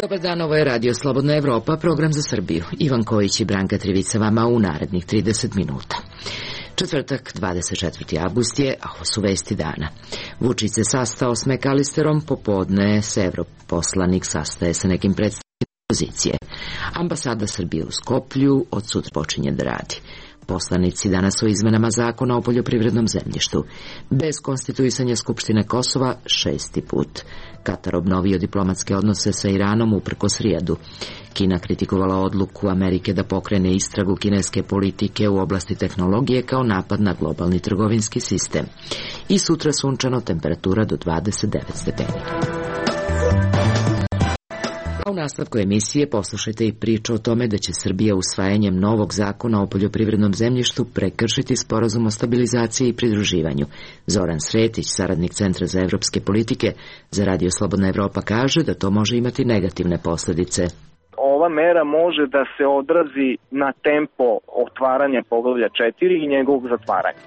Dobar dan, ovo je Radio Slobodna Evropa, program za Srbiju. Ivan Kojić i Branka Trivica vama u narednih 30 minuta. Četvrtak, 24. avgust je, a ovo su vesti dana. Vučić se sastao s McAllisterom, popodne se evroposlanik sastaje sa nekim predstavnicima opozicije. Ambasada Srbije u Skoplju od sutra počinje da radi. Poslanici danas o izmenama zakona o poljoprivrednom zemljištu. Bez konstituisanja Skupštine Kosova 6. put. Katar obnovio diplomatske odnose sa Iranom uprkos Rijadu. Kina kritikovala odluku Amerike da pokrene istragu kineske politike u oblasti tehnologije kao napad na globalni trgovinski sistem. I sutra sunčano, temperatura do 29 stepeni. A u nastavku emisije poslušajte i priču o tome da će Srbija usvajanjem novog zakona o poljoprivrednom zemljištu prekršiti sporazum o stabilizaciji i pridruživanju. Zoran Sretić, saradnik Centra za evropske politike za Radio Slobodna Evropa, kaže da to može imati negativne posljedice. Ova mera može da se odrazi na tempo otvaranja poglavlja 4 i njegovog zatvaranja.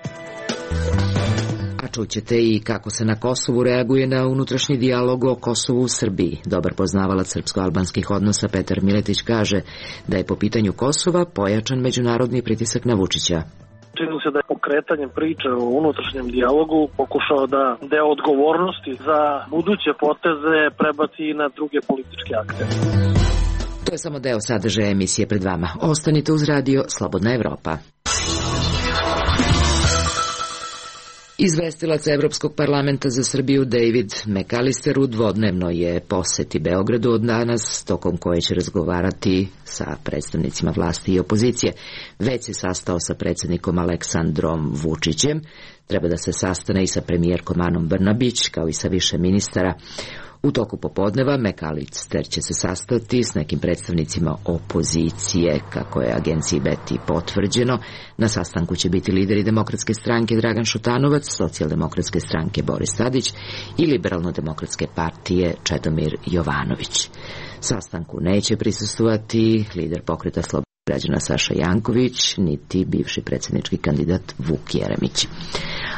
A čućete i kako se na Kosovu reaguje na unutrašnji dijalog o Kosovu u Srbiji. Dobar poznavalac srpsko-albanskih odnosa Petar Miletić kaže da je po pitanju Kosova pojačan međunarodni pritisak na Vučića. Čini se da je pokretanjem priče o unutrašnjem dijalogu pokušao da deo odgovornosti za buduće poteze prebaci i na druge političke akte. To je samo deo sadržaja emisije pred vama. Ostanite uz Radio Slobodna Evropa. Izvestilac Evropskog parlamenta za Srbiju David McAllister u dvodnevnoj je poseti Beogradu od danas, tokom koje će razgovarati sa predstavnicima vlasti i opozicije. Već se sastao sa predsjednikom Aleksandrom Vučićem, treba da se sastane i sa premijerkom Anom Brnabić, kao i sa više ministara. U toku popodneva McAllister će se sastati s nekim predstavnicima opozicije, kako je agenciji Beti potvrđeno. Na sastanku će biti lideri Demokratske stranke Dragan Šutanovac, Socijaldemokratske stranke Boris Tadić i Liberalno-demokratske partije Čedomir Jovanović. Sastanku neće prisustvovati lider Pokreta slobodnih građana Saša Janković, niti bivši predsjednički kandidat Vuk Jeremić.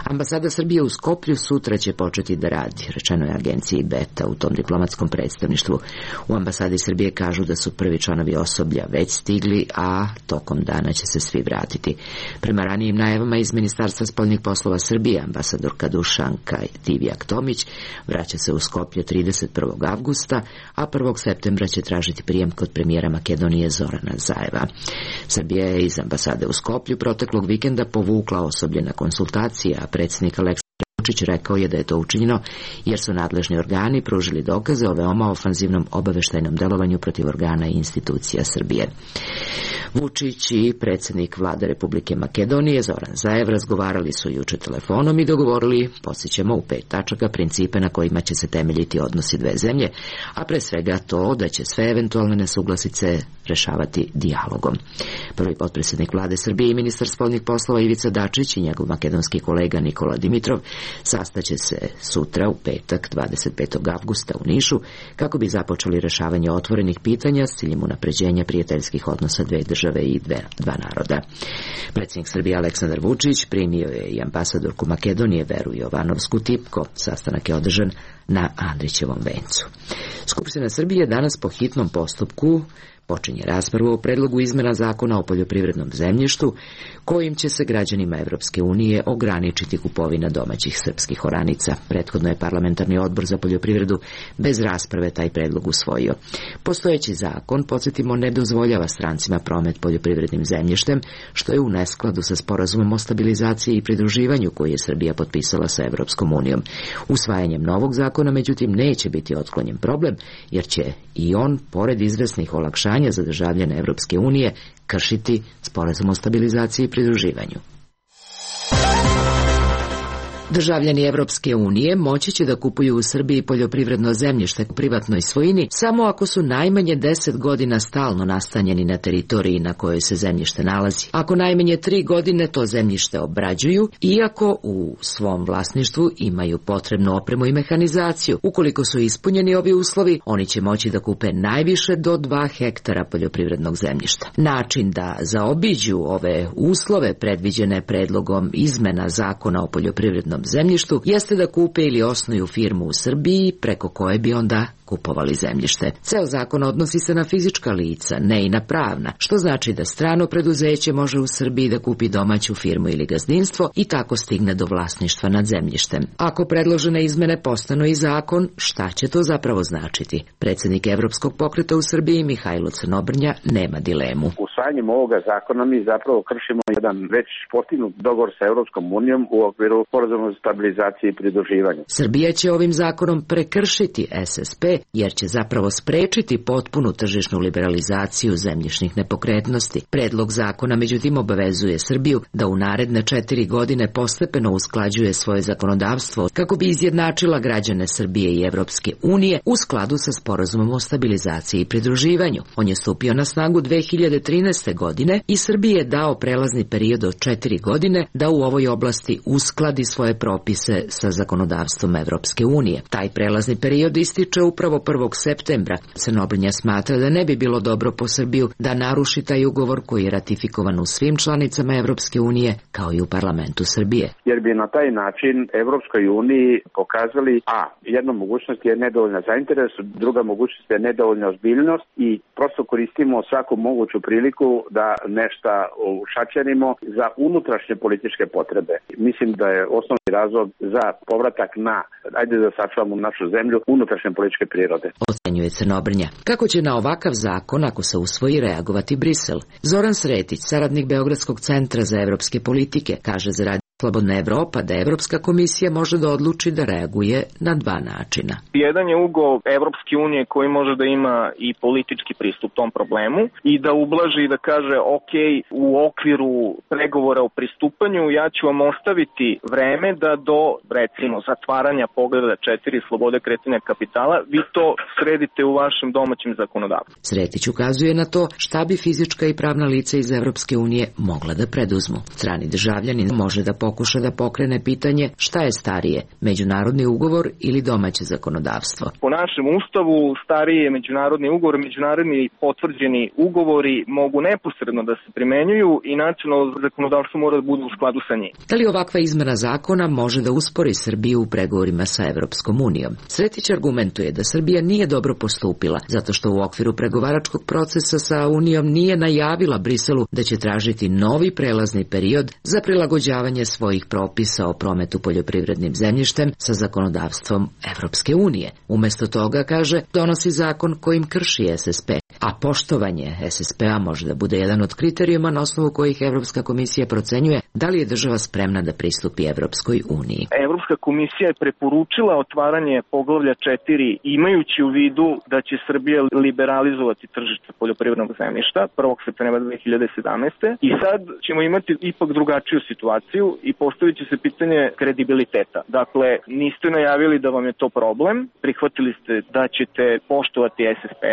Ambasada Srbije u Skoplju sutra će početi da radi, rečeno je agenciji Beta u tom diplomatskom predstavništvu. U ambasadi Srbije kažu da su prvi članovi osoblja već stigli, a tokom dana će se svi vratiti. Prema ranijim najavama iz Ministarstva spoljnih poslova Srbije, ambasadorka Dušanka Divjak-Tomić vraća se u Skoplje 31. avgusta, a 1. septembra će tražiti prijem kod premijera Makedonije Zorana Zajeva. Srbija je iz ambasade u Skoplju proteklog vikenda povukla osoblje na konsultacije, a predsjednik Aleksandar Vučić rekao je da je to učinjeno jer su nadležni organi pružili dokaze o veoma ofanzivnom obaveštajnom delovanju protiv organa i institucija Srbije. Vučić i predsjednik vlade Republike Makedonije Zoran Zaev razgovarali su juče telefonom i dogovorili, podsjećamo, u 5 tačaka principe na kojima će se temeljiti odnosi dve zemlje, a pre svega to da će sve eventualne nesuglasice rešavati dijalogom. Prvi potpredsjednik vlade Srbije i ministar spoljnih poslova Ivica Dačić i njegov makedonski kolega Nikola Dimitrov sastaće se sutra u petak 25. avgusta u Nišu kako bi započeli rešavanje otvorenih pitanja s ciljem unapređenja prijateljskih odnosa dve države i dva naroda. Predsjednik Srbije Aleksandar Vučić primio je i ambasadorku Makedonije Veru Jovanovsku Tipko. Sastanak je održan na Andrićevom vencu. Skupština Srbije danas po hitnom postupku počinje raspravu o predlogu izmena zakona o poljoprivrednom zemljištu, kojim će se građanima Evropske unije ograničiti kupovina domaćih srpskih oranica. Prethodno je parlamentarni odbor za poljoprivredu bez rasprave taj predlog usvojio. Postojeći zakon, podsjetimo, ne dozvoljava strancima promet poljoprivrednim zemljištem, što je u neskladu sa sporazumom o stabilizaciji i pridruživanju koji je Srbija potpisala sa Evropskom unijom. Usvajanjem novog zakona, međutim, neće biti otklonjen problem, jer će i on, pored izvesnih olakšanja za državljane Evropske unije, kršiti sporazum o stabilizaciji i pridruživanju. Državljani Evropske unije moći će da kupuju u Srbiji poljoprivredno zemljište u privatnoj svojini samo ako su najmanje 10 godina stalno nastanjeni na teritoriji na kojoj se zemljište nalazi. Ako najmanje 3 godine to zemljište obrađuju, iako u svom vlasništvu imaju potrebnu opremu i mehanizaciju. Ukoliko su ispunjeni ovi uslovi, oni će moći da kupe najviše do 2 hektara poljoprivrednog zemljišta. Način da zaobiđu ove uslove predviđene predlogom izmena Zakona o poljoprivrednom zemljištu jeste da kupe ili osnuju firmu u Srbiji preko koje bi onda kupovali zemljište. Ceo zakon odnosi se na fizička lica, ne i na pravna, što znači da strano preduzeće može u Srbiji da kupi domaću firmu ili gazdinstvo i tako stigne do vlasništva nad zemljištem. Ako predložene izmene postanu i zakon, šta će to zapravo značiti? Predsjednik Evropskog pokreta u Srbiji Mihajlo Crnobrnja nema dilemu. Usvajanjem ovoga zakona mi zapravo kršimo jedan već postignut dogovor sa Evropskom unijom u okviru sporazuma za stabilizaciju i pridruživanje. Srbija će ovim zakonom prekršiti SSP jer će zapravo sprečiti potpunu tržišnu liberalizaciju zemljišnih nepokretnosti. Predlog zakona međutim obavezuje Srbiju da u naredne 4 godine postepeno usklađuje svoje zakonodavstvo kako bi izjednačila građane Srbije i Evropske unije u skladu sa sporazumom o stabilizaciji i pridruživanju. On je stupio na snagu 2013. godine i Srbiji je dao prelazni period od 4 godine da u ovoj oblasti uskladi svoje propise sa zakonodavstvom Evropske unije. Taj prelazni period ističe upravo 1. septembra. Crnobrnja smatra da ne bi bilo dobro po Srbiju da naruši taj ugovor koji je ratifikovan u svim članicama Evropske unije kao i u parlamentu Srbije. Jer bi na taj način Evropskoj uniji pokazali jedna mogućnost je nedovoljna zainteresovanost, druga mogućnost je nedovoljna ozbiljnost i prosto koristimo svaku moguću priliku da nešto ušačenimo za unutrašnje političke potrebe. Mislim da je osnovni razlog za povratak na, ajde da sačuvamo našu zemlju, unutrašnje političke prirode. Ocenjuje Crnobrnja. Kako će na ovakav zakon, ako se usvoji, reagovati Brisel? Zoran Sretić, saradnik Beogradskog centra za evropske politike, kaže za Radio Slobodna Evropa da Evropska komisija može da odluči da reaguje na 2 načina. Jedan je ugao Evropske unije koji može da ima i politički pristup tom problemu i da ublaži i da kaže ok, u okviru pregovora o pristupanju ja ću vam ostaviti vreme da do, recimo, zatvaranja poglavlja 4 slobode kretanja kapitala, vi to sredite u vašem domaćem zakonodavstvu. Sretić ukazuje na to šta bi fizička i pravna lica iz Evropske unije mogla da preduzmu. Strani državljanin može da pokuša da pokrene pitanje šta je starije, međunarodni ugovor ili domaće zakonodavstvo. Po našem ustavu stariji je međunarodni ugovor, međunarodni potvrđeni ugovori mogu neposredno da se primenjuju i nacionalno zakonodavstvo mora da bude u skladu sa njim. Da li ovakva izmena zakona može da uspori Srbiju u pregovorima sa Evropskom unijom? Sretić argumentuje da Srbija nije dobro postupila, zato što u okviru pregovaračkog procesa sa Unijom nije najavila Briselu da će tražiti novi prelazni period za prilagođavanje svojih propisa o prometu poljoprivrednim zemljištem sa zakonodavstvom Evropske unije. Umesto toga, kaže, donosi zakon kojim krši SSP, a poštovanje SSP-a može da bude jedan od kriterijuma na osnovu kojih Evropska komisija procenjuje da li je država spremna da pristupi Evropskoj uniji. Evropska komisija je preporučila otvaranje poglavlja 4 imajući u vidu da će Srbija liberalizovati tržište poljoprivrednog zemljišta 1. septembra 2017. I sad ćemo imati ipak drugačiju situaciju i postavit će se pitanje kredibiliteta. Dakle, niste najavili da vam je to problem, prihvatili ste da ćete poštovati SSP,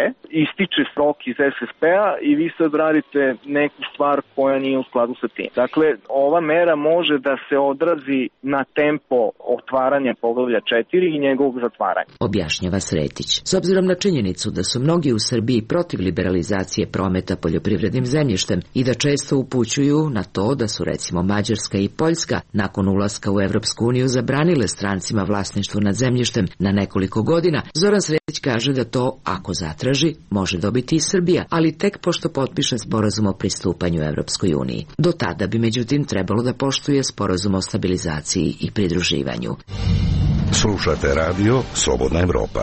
ističe rok iz SSP-a i vi sad radite neku stvar koja nije u skladu sa tim. Dakle, ova mera može da se odrazi na tempo otvaranja poglavlja 4 i njegovog zatvaranja. Objašnjava Sretić. S obzirom na činjenicu da su mnogi u Srbiji protiv liberalizacije prometa poljoprivrednim zemljištem i da često upućuju na to da su recimo Mađarska i Poljska nakon ulaska u Evropsku uniju zabranile strancima vlasništvo nad zemljištem na nekoliko godina, Zoran Sretić kaže da to, ako zatraži, može dobiti i Srbija, ali tek pošto potpiše sporazum o pristupanju Evropskoj uniji. Do tada bi međutim trebalo da poštuje sporazum o stabilizaciji i pridruživanju. Slušate radio Slobodna Evropa.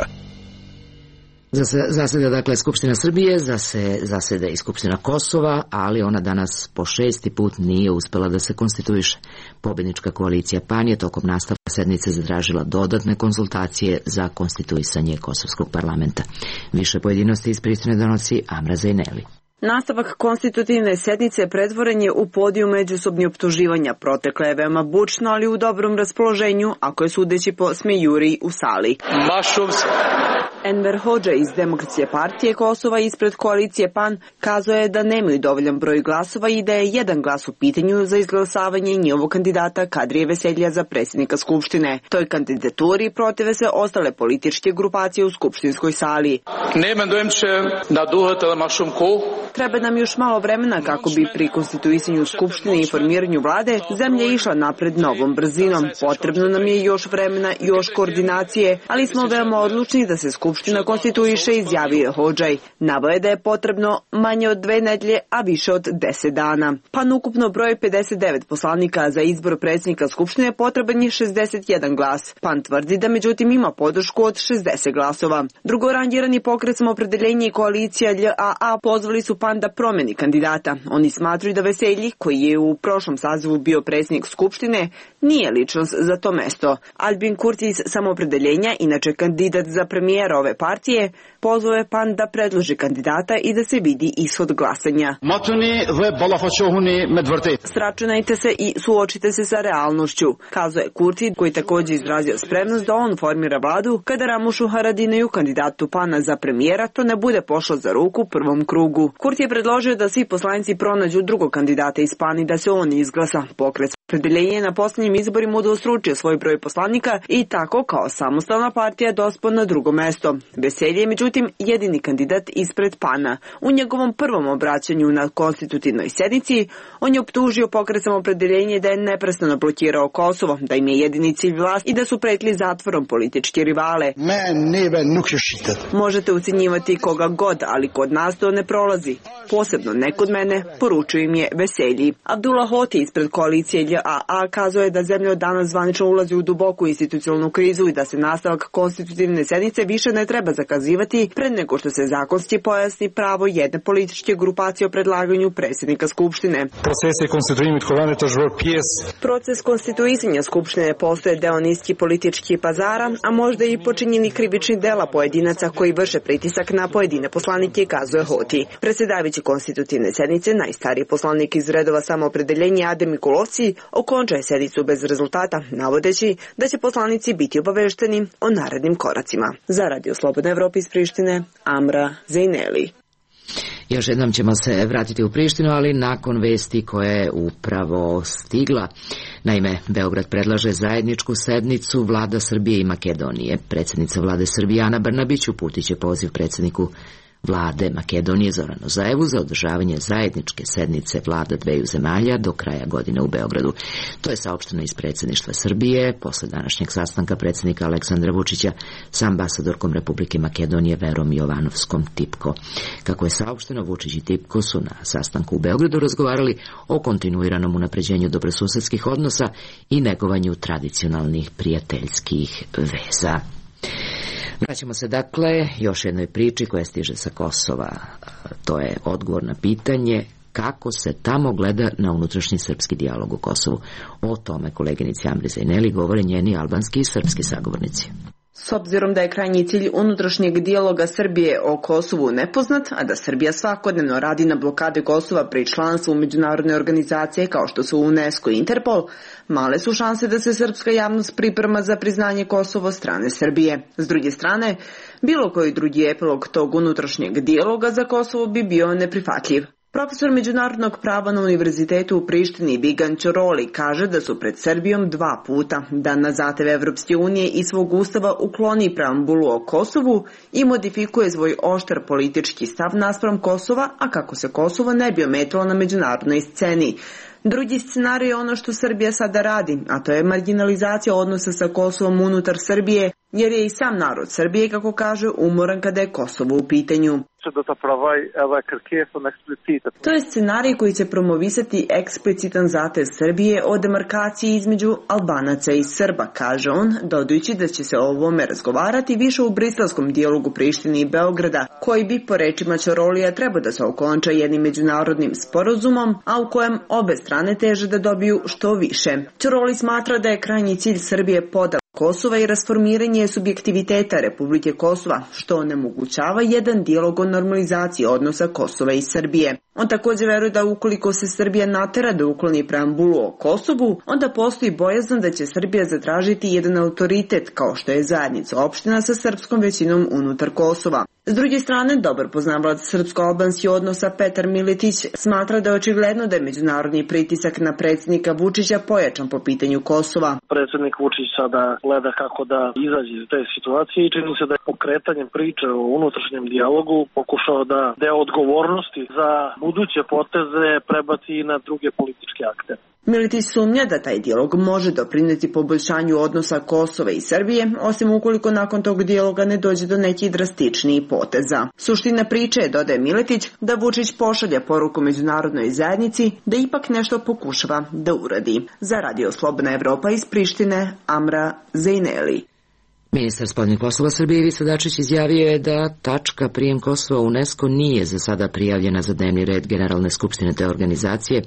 Zaseda dakle Skupština Srbije, zaseda i Skupština Kosova, ali ona danas po 6. put nije uspela da se konstituiše. Pobednička koalicija PAN je tokom nastavka sednice zatražila dodatne konsultacije za konstituisanje Kosovskog parlamenta. Više pojedinosti iz Prištine donosi Amra Zajneli. Nastavak konstitutivne sednice pretvoren je u podijum međusobnih optuživanja. Protekla je veoma bučno, ali u dobrom raspoloženju, ako je sudeći po smejuri u sali. Enver Hoxha iz Demokratske partije Kosova ispred koalicije PAN kazao je da nemaju dovoljan broj glasova i da je jedan glas u pitanju za izglasavanje njihovog kandidata Kadrije Veseljija za predsjednika Skupštine. Toj kandidaturi protive se ostale političke grupacije u skupštinskoj sali. Treba nam još malo vremena kako bi pri konstituisanju Skupštine i formiranju vlade zemlja išla napred novom brzinom. Potrebno nam je još vremena, još koordinacije, ali smo veoma odlučni da se Skupština konstituiše, izjavio je Hoxha. Naveo je da je potrebno manje od 2 nedelje, a više od 10 dana. PAN ukupno broj 59 poslanika, za izbor predsjednika Skupštine potreban je 61 glas. PAN tvrdi da međutim ima podršku od 60 glasova. Drugorangirani pokret Samoopredeljenje i koalicija LJAA pozvali su PAN da promeni kandidata. Oni smatruju da Veselji, koji je u prošlom sazivu bio predsjednik Skupštine, nije ličnost za to mesto. Albin Kurti iz Samoopredeljenja, inače kandidat za premijera ove partije, pozvao je PAN da predloži kandidata i da se vidi ishod glasanja. Sračunajte se i suočite se sa realnošću, kazao je Kurti, koji također izrazio spremnost da on formira vladu kada Ramušu Haradinaju, kandidatu PAN-a za premijera, to ne bude pošlo za ruku u prvom krugu. Kurti je predložio da svi poslanici pronađu drugog kandidata iz PAN i da se on izglasa. Pokret Samoopredeljenje je na posljednjim izborima udvostručio svoj broj poslanika i tako kao samostalna partija dospao na drugo mesto. Veselje je međutim jedini kandidat ispred PAN-a. U njegovom prvom obraćanju na konstitutivnoj sednici on je optužio pokret Samoopredeljenje da je neprestano blokirao Kosovo, da im je jedini cilj vlast i da su pretili zatvorom političke rivale. Možete ucenjivati koga god, ali kod nas to ne prolazi. Posebno ne kod mene, poručuje im je Veselji. Abdullah Hoti ispred koalicije LJAA kazao je da zemlja od danas zvanično ulazi u duboku institucionalnu krizu i da se nastavak konstitutivne sednice više ne treba zakazivati pred nego što se zakonski pojasni pravo jedne političke grupacije o predlaganju predsjednika Skupštine. Proces konstituisanja Skupštine postoje deo niskih političkih pazara, a možda i počinjeni krivični dela pojedinaca koji vrše pritisak na pojedine poslanike, kazuje Hoti. Predsjedavajući konstitutivne sednice, najstariji poslanik iz redova Samoopredeljenja Adem Mikulovci okončao je sednicu bez rezultata, navodeći da će poslanici biti obavešteni o narednim koracima. Za Radio Slobodna Evropa iz Prištine, Amra Zejneli. Još jednom ćemo se vratiti u Prištinu, ali nakon vesti koja je upravo stigla. Naime, Beograd predlaže zajedničku sednicu vlada Srbije i Makedonije. Predsjednica vlade Srbije Ana Brnabić uputit će poziv predsjedniku vlade Makedonije Zoranu Zaevu za održavanje zajedničke sednice vlada dveju zemalja do kraja godine u Beogradu. To je saopšteno iz predsjedništva Srbije posle današnjeg sastanka predsjednika Aleksandra Vučića sa ambasadorkom Republike Makedonije Verom Jovanovskom Tipko. Kako je saopšteno, Vučić i Tipko su na sastanku u Beogradu razgovarali o kontinuiranom unapređenju dobrosusedskih odnosa i negovanju tradicionalnih prijateljskih veza. Vraćamo se dakle još jednoj priči koja stiže sa Kosova. To je odgovor na pitanje kako se tamo gleda na unutrašnji srpski dijalog u Kosovu. O tome koleginici Amri Zejneli govore njeni albanski i srpski sagovornici. S obzirom da je krajnji cilj unutrašnjeg dijaloga Srbije o Kosovu nepoznat, a da Srbija svakodnevno radi na blokade Kosova pri članstvu u međunarodne organizacije kao što su UNESCO i Interpol, male su šanse da se srpska javnost priprema za priznanje Kosova od strane Srbije. S druge strane, bilo koji drugi epilog tog unutrašnjeg dijaloga za Kosovo bi bio neprihvatljiv. Profesor međunarodnog prava na Univerzitetu u Prištini Bigan Ćoroli kaže da su pred Srbijom 2 puta da na zahtev Evropske unije i svog ustava ukloni preambulu o Kosovu i modifikuje svoj oštar politički stav naspram Kosova, a kako se Kosovo ne bi ometalo na međunarodnoj sceni. Drugi scenarij je ono što Srbija sada radi, a to je marginalizacija odnosa sa Kosovom unutar Srbije, jer je i sam narod Srbije, kako kaže, umoran kada je Kosovo u pitanju. To je scenarij koji će promovisati eksplicitan zahtev Srbije o demarkaciji između Albanaca i Srba, kaže on, dodajući da će se o ovome razgovarati više u briselskom dijalogu Prištine i Beograda, koji bi po rečima Ćorolija trebao da se okonča jednim međunarodnim sporazumom, a u kojem obe strane teže da dobiju što više. Ćoroli smatra da je krajnji cilj Srbije podela Kosova i rasformiranje subjektiviteta Republike Kosova, što onemogućava jedan dijalog o normalizaciji odnosa Kosova i Srbije. On također veruje da ukoliko se Srbija natera da ukloni preambulu o Kosovu, onda postoji bojazan da će Srbija zatražiti jedan autoritet kao što je zajednica opština sa srpskom većinom unutar Kosova. S druge strane, dobar poznavalac srpsko-albanskih odnosa Petar Miletić smatra da je očigledno da je međunarodni pritisak na predsjednika Vučića pojačan po pitanju Kosova. Predsjednik Vučić sada gleda kako da izađe iz te situacije i čini se da je pokretanjem priče o unutrašnjem dijalogu pokušao da deo odgovornosti za buduće poteze prebaci na druge političke akte. Miletić sumnja da taj dijalog može doprineti poboljšanju odnosa Kosova i Srbije, osim ukoliko nakon tog dijaloga ne dođe do nekih drastičnijih poteza. Suština priče je, dodaje Miletić, da Vučić pošalja poruku međunarodnoj zajednici da ipak nešto pokušava da uradi. Za Radio Slobodna Evropa iz Prištine, Amra Zejneli. Ministar spoljnih poslova Srbije Ivica Dačić izjavio je da tačka prijem Kosova u UNESCO nije za sada prijavljena za dnevni red Generalne skupštine te organizacije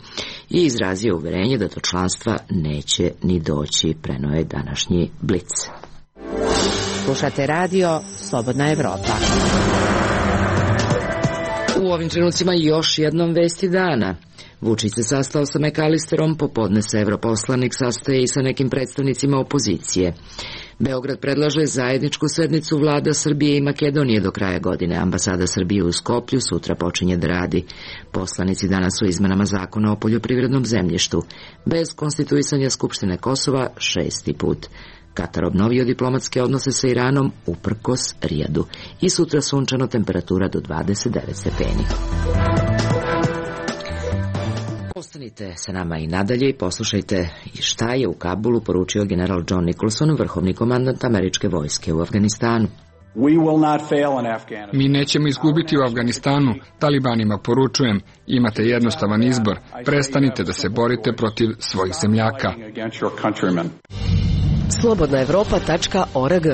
i izrazio uverenje da do članstva neće ni doći, preneo je današnji Blic. Slušate radio Slobodna Evropa. U ovim trenucima još jednom vesti dana. Vučić se sastao sa McAllisterom, popodne se evroposlanik sastaje i sa nekim predstavnicima opozicije. Beograd predlaže zajedničku sednicu vlada Srbije i Makedonije do kraja godine. Ambasada Srbije u Skoplju sutra počinje da radi. Poslanici danas u izmenama zakona o poljoprivrednom zemljištu. Bez konstituisanja Skupštine Kosova 6. put. Katar obnovio diplomatske odnose sa Iranom uprkos Rijadu. I sutra sunčano, temperatura do 29 stepeni. Ostanite sa nama i nadalje i poslušajte šta je u Kabulu poručio general John Nicholson, vrhovni komandant američke vojske u Afganistanu. Mi nećemo izgubiti u Afganistanu. Talibanima poručujem, imate jednostavan izbor. Prestanite da se borite protiv svojih zemljaka. slobodnaevropa.org.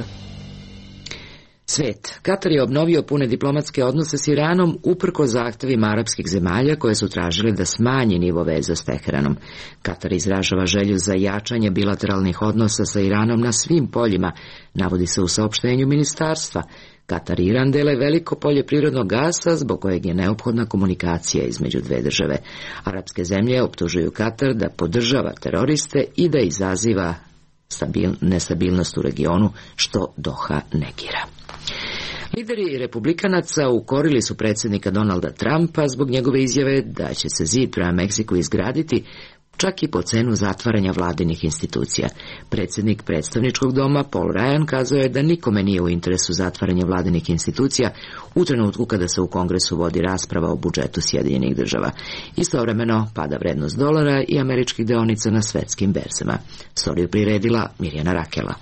Svet. Katar je obnovio pune diplomatske odnose s Iranom uprkos zahtevima arapskih zemalja koje su tražile da smanji nivo veza s Teheranom. Katar izražava želju za jačanje bilateralnih odnosa sa Iranom na svim poljima, navodi se u saopštenju ministarstva. Katar i Iran dele veliko polje prirodnog gasa zbog kojeg je neophodna komunikacija između dve države. Arapske zemlje optužuju Katar da podržava teroriste i da izaziva nestabilnost u regionu, što Doha negira. Lideri republikanaca ukorili su predsjednika Donalda Trumpa zbog njegove izjave da će se zid prema Meksiku izgraditi čak i po cenu zatvaranja vladinih institucija. Predsjednik predstavničkog doma Paul Ryan kazao je da nikome nije u interesu zatvaranje vladinih institucija u trenutku kada se u Kongresu vodi rasprava o budžetu Sjedinjenih država. Istovremeno pada vrednost dolara i američkih deonica na svetskim berzama. Storiju priredila Mirjana Rakela.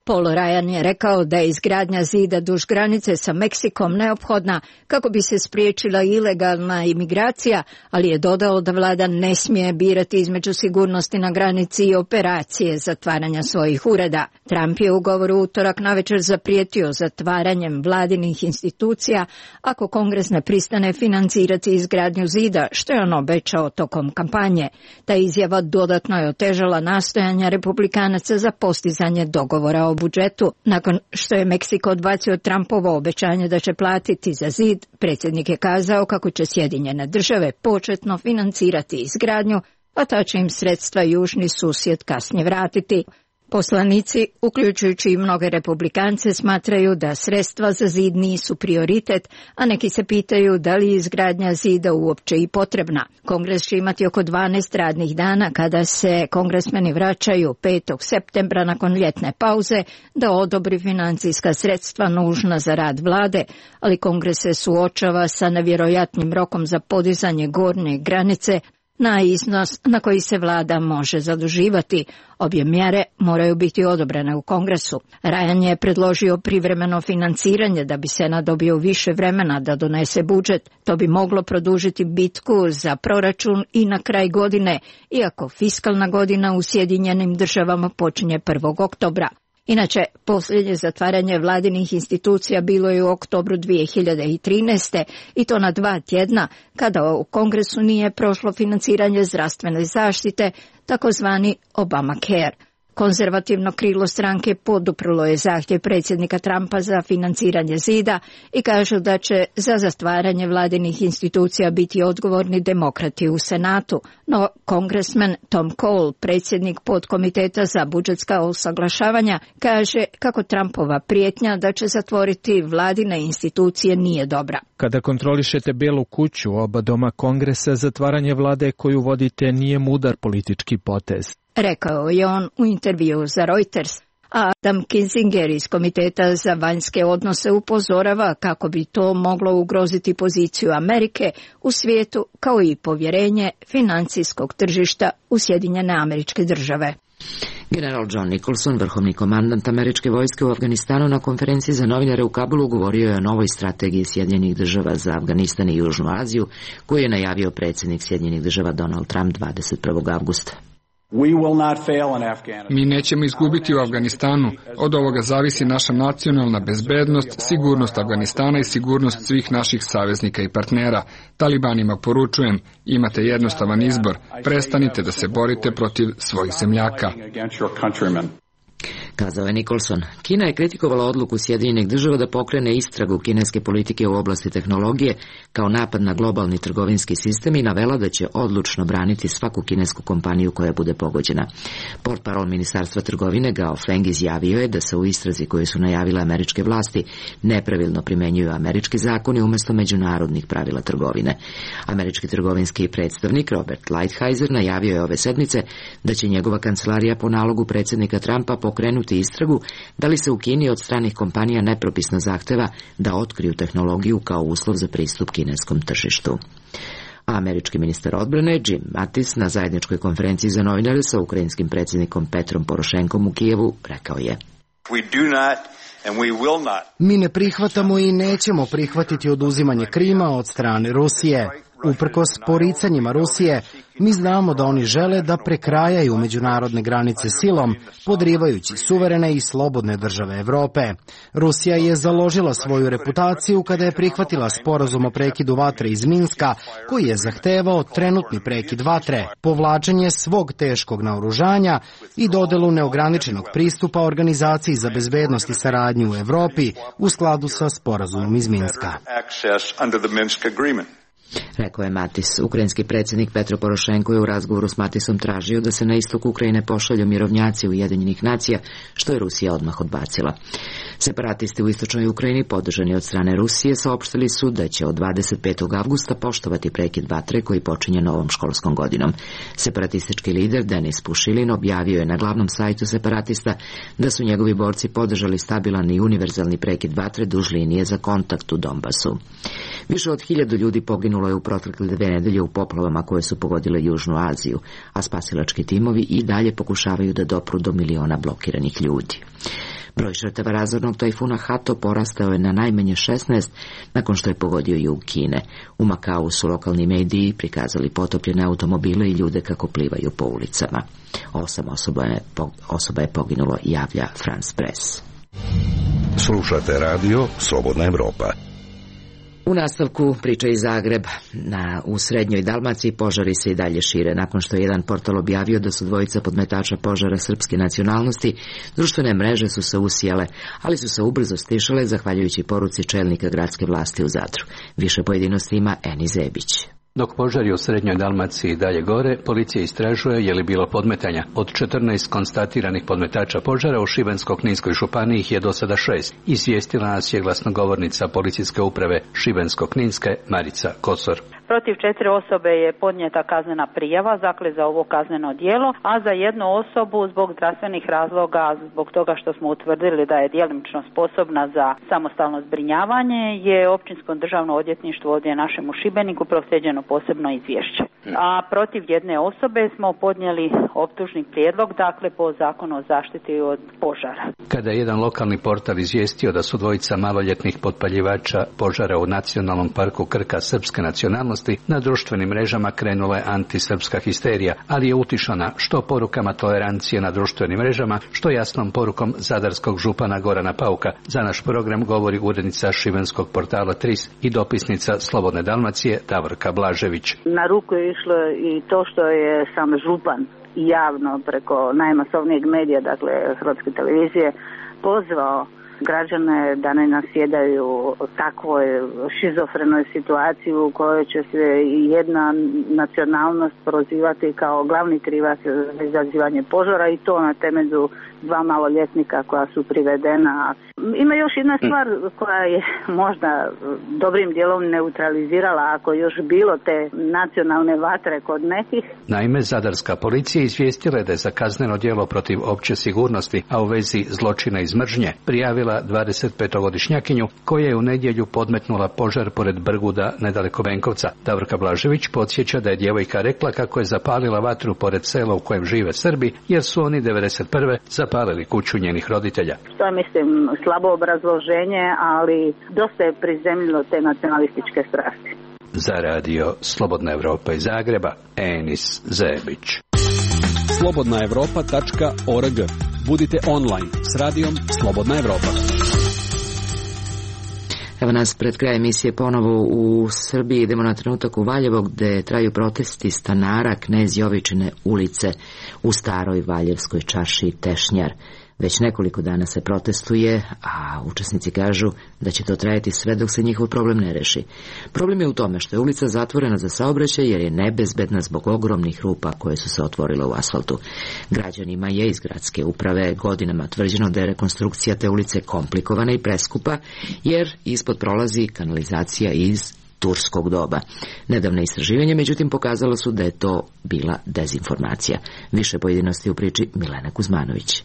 Paul Ryan je rekao da je izgradnja zida duž granice sa Meksikom neophodna kako bi se spriječila ilegalna imigracija, ali je dodao da vlada ne smije birati između sigurnosti na granici i operacije zatvaranja svojih ureda. Trump je u govoru utorak navečer zaprijetio zatvaranjem vladinih institucija ako Kongres ne pristane financirati izgradnju zida, što je on obećao tokom kampanje. Ta izjava dodatno je otežala nastojanja republikanaca za postizanje dogovora o budžetu. Nakon što je Meksiko odbacio Trumpovo obećanje da će platiti za zid, predsjednik je kazao kako će Sjedinjene države početno financirati izgradnju, a ta će im sredstva južni susjed kasnije vratiti. Poslanici, uključujući i mnoge republikance, smatraju da sredstva za zid nisu prioritet, a neki se pitaju da li je izgradnja zida uopće i potrebna. Kongres će imati oko 12 radnih dana kada se kongresmeni vraćaju 5. septembra nakon ljetne pauze da odobri financijska sredstva nužna za rad vlade, ali Kongres se suočava sa nevjerojatnim rokom za podizanje gornje granice na iznos na koji se vlada može zaduživati. Obje mjere moraju biti odobrene u Kongresu. Ryan je predložio privremeno financiranje da bi Senat dobio više vremena da donese budžet. To bi moglo produžiti bitku za proračun i na kraj godine, iako fiskalna godina u Sjedinjenim državama počinje 1. oktobra. Inače, posljednje zatvaranje vladinih institucija bilo je u oktobru 2013. i to na 2 tjedna, kada u Kongresu nije prošlo financiranje zdravstvene zaštite, takozvani Obamacare. Konzervativno krilo stranke poduprlo je zahtjev predsjednika Trumpa za financiranje zida i kažu da će za zatvaranje vladinih institucija biti odgovorni demokrati u Senatu, no kongresmen Tom Cole, predsjednik podkomiteta za budžetska usaglašavanja, kaže kako Trumpova prijetnja da će zatvoriti vladine institucije nije dobra. Kada kontrolišete Belu kuću, oba doma Kongresa, zatvaranje vlade koju vodite nije mudar politički potez, rekao je on u intervjuu za Reuters. A Adam Kinzinger iz Komiteta za vanjske odnose upozorava kako bi to moglo ugroziti poziciju Amerike u svijetu kao i povjerenje financijskog tržišta u Sjedinjene Američke Države. General John Nicholson, vrhovni komandant američke vojske u Afganistanu, na konferenciji za novinare u Kabulu govorio je o novoj strategiji Sjedinjenih Država za Afganistan i Južnu Aziju, koju je najavio predsjednik Sjedinjenih Država Donald Trump 21. avgusta. Mi nećemo izgubiti u Afganistanu. Od ovoga zavisi naša nacionalna bezbednost, sigurnost Afganistana i sigurnost svih naših saveznika i partnera. Talibanima poručujem, imate jednostavan izbor. Prestanite da se borite protiv svojih zemljaka. Kazao je Nicholson. Kina je kritikovala odluku Sjedinjenih Država da pokrene istragu kineske politike u oblasti tehnologije kao napad na globalni trgovinski sistem i navela da će odlučno braniti svaku kinesku kompaniju koja bude pogođena. Portparol Ministarstva trgovine Gao Feng izjavio je da se u istrazi koju su najavile američke vlasti nepravilno primenjuju američki zakoni umjesto međunarodnih pravila trgovine. Američki trgovinski predstavnik Robert Lighthizer najavio je ove sedmice da će njegova kancelarija po nalogu predsjednika Trumpa pokrenuti istragu da li se u Kini od stranih kompanija nepropisno zahteva da otkriju tehnologiju kao uslov za pristup kineskom tržištu. Američki ministar odbrane Jim Mattis na zajedničkoj konferenciji za novinare sa ukrajinskim predsjednikom Petrom Porošenkom u Kijevu rekao je: Mi ne prihvatamo i nećemo prihvatiti oduzimanje Krima od strane Rusije. Uprkos poricanjima Rusije, mi znamo da oni žele da prekrajaju međunarodne granice silom, podrivajući suverene i slobodne države Evrope. Rusija je založila svoju reputaciju kada je prihvatila sporazum o prekidu vatre iz Minska, koji je zahtevao trenutni prekid vatre, povlačenje svog teškog naoružanja i dodelu neograničenog pristupa Organizaciji za bezbednost i saradnju u Evropi u skladu sa sporazumom iz Minska. Rekao je Matis. Ukrajinski predsjednik Petro Porošenko je u razgovoru s Matisom tražio da se na istok Ukrajine pošalju mirovnjaci Ujedinjenih nacija, što je Rusija odmah odbacila. Separatisti u istočnoj Ukrajini, podržani od strane Rusije, saopštili su da će od 25. avgusta poštovati prekid vatre koji počinje novom školskom godinom. Separatistički lider Denis Pušilin objavio je na glavnom sajtu separatista da su njegovi borci podržali stabilan i univerzalni prekid vatre duž linije za kontakt u Donbasu. Više od 1000 ljudi poginulo je u protekle 2 nedelje u poplavama koje su pogodile Južnu Aziju, a spasilački timovi i dalje pokušavaju da dopru do miliona blokiranih ljudi. Broj žrtava razornog tajfuna Hato porastao je na najmanje 16 nakon što je pogodio jug Kine. U Makau su lokalni mediji prikazali potopljene automobile i ljude kako plivaju po ulicama. 8 osoba je poginulo, javlja France Press. Slušate radio Slobodna Evropa. U nastavku priča iz Zagreba. U srednjoj Dalmaciji požari se i dalje šire. Nakon što je jedan portal objavio da su dvojica podmetača požara srpske nacionalnosti, društvene mreže su se usijale, ali su se ubrzo stišale zahvaljujući poruci čelnika gradske vlasti u Zadru. Više pojedinosti ima Eni Zebić. Dok požari u srednjoj Dalmaciji dalje gore, policija istražuje je li bilo podmetanja. Od 14 konstatiranih podmetača požara u Šibensko-kninskoj županiji ih je do sada 6. Izvijestila nas je glasnogovornica policijske uprave Šibensko-kninske Marica Kosor. Protiv 4 osobe je podnijeta kaznena prijava, dakle za ovo kazneno djelo, a za jednu osobu zbog zdravstvenih razloga, zbog toga što smo utvrdili da je djelomično sposobna za samostalno zbrinjavanje, je Općinsko državno odvjetništvo ovdje našem u Šibeniku proslijeđeno posebno izvješće. A protiv jedne osobe smo podnijeli optužni prijedlog, dakle po zakonu o zaštiti od požara. Kada je jedan lokalni portal izvijestio da su dvojica maloljetnih potpaljivača požara u Nacionalnom parku Krka srpske nacionalnosti, na društvenim mrežama krenula je antisrpska histerija, ali je utišana što porukama tolerancije na društvenim mrežama, što jasnom porukom zadarskog župana Gorana Pauka. Za naš program govori urednica šibenskog portala Tris i dopisnica Slobodne Dalmacije Davorka Blažević. Na ruku je išlo i to što je sam župan javno preko najmasovnijeg medija, dakle Hrvatske televizije, pozvao građane da ne nasjedaju takvoj šizofrenoj situaciji u kojoj će se jedna nacionalnost prozivati kao glavni krivac za izazivanje požara i to na temelju 2 maloljetnika koja su privedena. Ima još jedna stvar koja je možda dobrim dijelom neutralizirala ako još bilo te nacionalne vatre kod nekih. Naime, zadarska policija izvijestila je da je za kazneno djelo protiv opće sigurnosti, a u vezi zločina iz mržnje, prijavila 25-godišnjakinju koja je u nedjelju podmetnula požar pored Brguda nedaleko Benkovca. Davorka Blažević podsjeća da je djevojka rekla kako je zapalila vatru pored sela u kojem žive Srbi, jer su oni 1991. zapalili kuću njenih roditelja. To je, mislim, slabo obrazloženje, ali dosta je prizemljilo te nacionalističke strasti. Za radio Slobodna Evropa iz Zagreba, Enis Zebić. slobodnaevropa.org. Budite online s radijom Slobodna Evropa. Evo nas pred kraj emisije ponovo u Srbiji. Idemo na trenutak u Valjevo gde traju protesti stanara Knez Jovičine ulice u staroj Valjevskoj čaršiji Tešnjar. Već nekoliko dana se protestuje, a učesnici kažu da će to trajati sve dok se njihov problem ne reši. Problem je u tome što je ulica zatvorena za saobraćaj jer je nebezbedna zbog ogromnih rupa koje su se otvorile u asfaltu. Građanima je iz gradske uprave godinama tvrđeno da je rekonstrukcija te ulice komplikovana i preskupa jer ispod prolazi kanalizacija iz turskog doba. Nedavne istraživanje, međutim, pokazalo su da je to bila dezinformacija. Više pojedinosti u priči Milena Kuzmanović.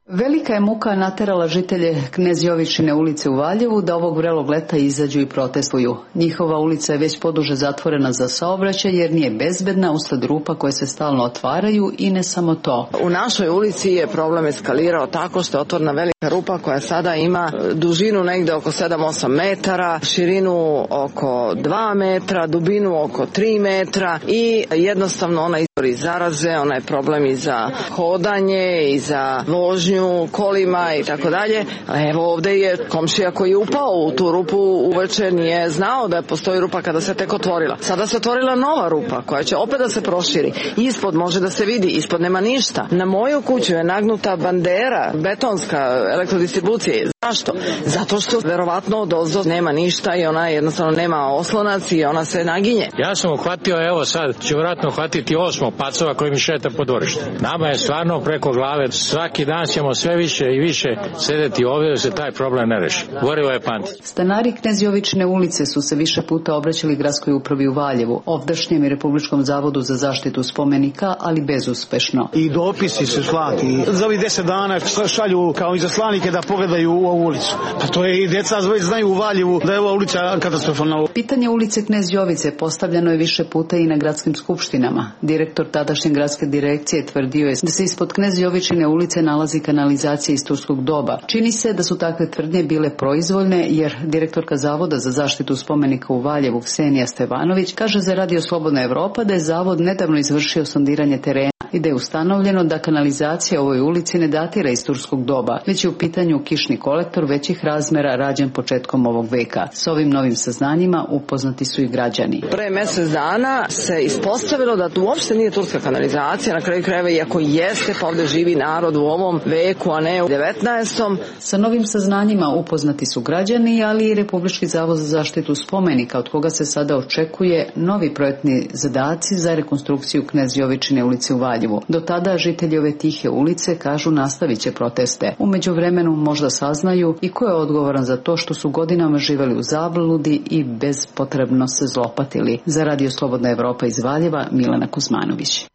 Velika je muka naterala žitelje Knez Jovičine ulice u Valjevu da ovog vrelog leta izađu i protestuju. Njihova ulica je već poduže zatvorena za saobraćaj jer nije bezbedna usled rupa koje se stalno otvaraju i ne samo to. U našoj ulici je problem eskalirao tako što je otvorena velika rupa koja sada ima dužinu negde oko 7-8 metara, širinu oko 2 metra, dubinu oko 3 metra i jednostavno ona izvori zaraze, ona je problem i za hodanje i za vožnju kolima i tako dalje. Evo ovde je komšija koji je upao u tu rupu uveče, nije znao da postoji rupa kada se tek otvorila. Sada se otvorila nova rupa koja će opet da se proširi. Ispod može da se vidi, ispod nema ništa. Na moju kuću je nagnuta bandera, betonska elektrodistribucije. Zašto? Zato što verovatno odozdo nema ništa i ona jednostavno nema oslonac i ona se naginje. Ja sam uhvatio, evo sad ću vjerojatno uhvatiti 8 pacova koji mi šeta po dvorištu. Nama je stvarno preko glave, svaki dan ćemo sve više i više sedeti ovdje da se taj problem ne reši. Gorivo je pamtiti. Stanari Knez Jovičine ulice su se više puta obraćali gradskoj upravi u Valjevu, ovdašnjem i Republičkom zavodu za zaštitu spomenika, ali bezuspešno. I dopisi su slati. Za ovih 10 dana šalju kao izaslanike da pogledaju u ovu ulicu. Pa to je i djeca već znaju u Valjevu da je ova ulica katastrofalna. Pitanje ulice Knez Jovice postavljeno je više puta i na gradskim skupštinama. Direktor tadašnje gradske direkcije tvrdio je da se ispod Knez Jovičine ulice nalazi kanalizacija iz turskog doba. Čini se da su takve tvrdnje bile proizvoljne jer direktorka Zavoda za zaštitu spomenika u Valjevu Ksenija Stevanović kaže za Radio Slobodna Evropa da je zavod nedavno izvršio sondiranje terena i da je ustanovljeno da kanalizacija u ovoj ulici ne datira iz turskog doba, već je u pitanju kišni kolektor većih razmera rađen početkom ovog veka. S ovim novim saznanjima upoznati su i građani. Pre mjesec dana se ispostavilo da to uopšte nije turska kanalizacija, na kraju krajeva iako jeste, pa ovdje živi narod u ovom veku, a ne u 19. Sa novim saznanjima upoznati su građani, ali i Republički zavod za zaštitu spomenika, od koga se sada očekuje novi projektni zadaci za rekonstrukciju Knez Jovičine ulice u Valjevu. Do tada žitelji ove tihe ulice kažu nastavit će proteste. U međuvremenu možda saznaju i ko je odgovoran za to što su godinama živeli u zabludi i bezpotrebno se zlopatili. Za Radio Slobodna Evropa iz Valjeva, Milena Kuzmanović.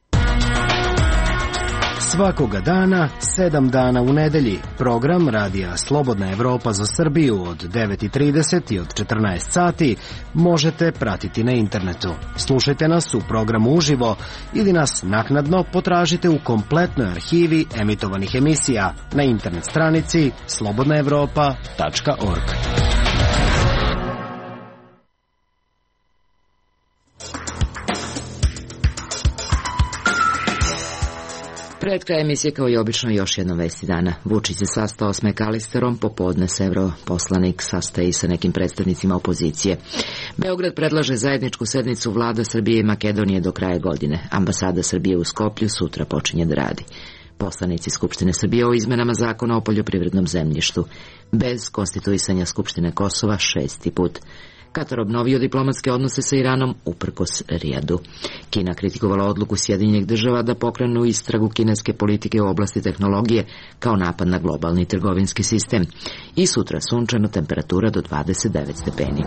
Svakoga dana, 7 dana u nedelji, program Radija Slobodna Evropa za Srbiju od 9:30 i od 14 sati možete pratiti na internetu. Slušajte nas u programu uživo ili nas naknadno potražite u kompletnoj arhivi emitovanih emisija na internet stranici slobodnaevropa.org. Pred kraj emisije kao i obično još jednom vesti dana. Vučić se sastao s McAllisterom, popodne se europoslanik sastaje i sa nekim predstavnicima opozicije. Beograd predlaže zajedničku sednicu vlada Srbije i Makedonije do kraja godine. Ambasada Srbije u Skoplju sutra počinje da radi. Poslanici Skupštine Srbije o izmenama zakona o poljoprivrednom zemljištu. Bez konstituisanja Skupštine Kosova 6. put. Katar obnovio diplomatske odnose sa Iranom uprkos Rijadu. Kina kritikovala odluku Sjedinjenih država da pokrenu istragu kineske politike u oblasti tehnologije kao napad na globalni trgovinski sistem. I sutra sunčano, temperatura do 29 stepeni.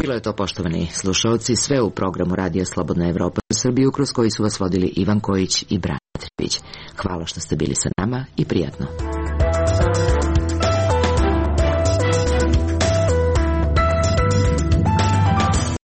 Bilo je to, poštovani slušalci, sve u programu Radija Slobodna Evropa u Srbiju, kroz koji su vas vodili Ivan Kojić i Branimir Trivić. Hvala što ste bili sa nama i prijatno.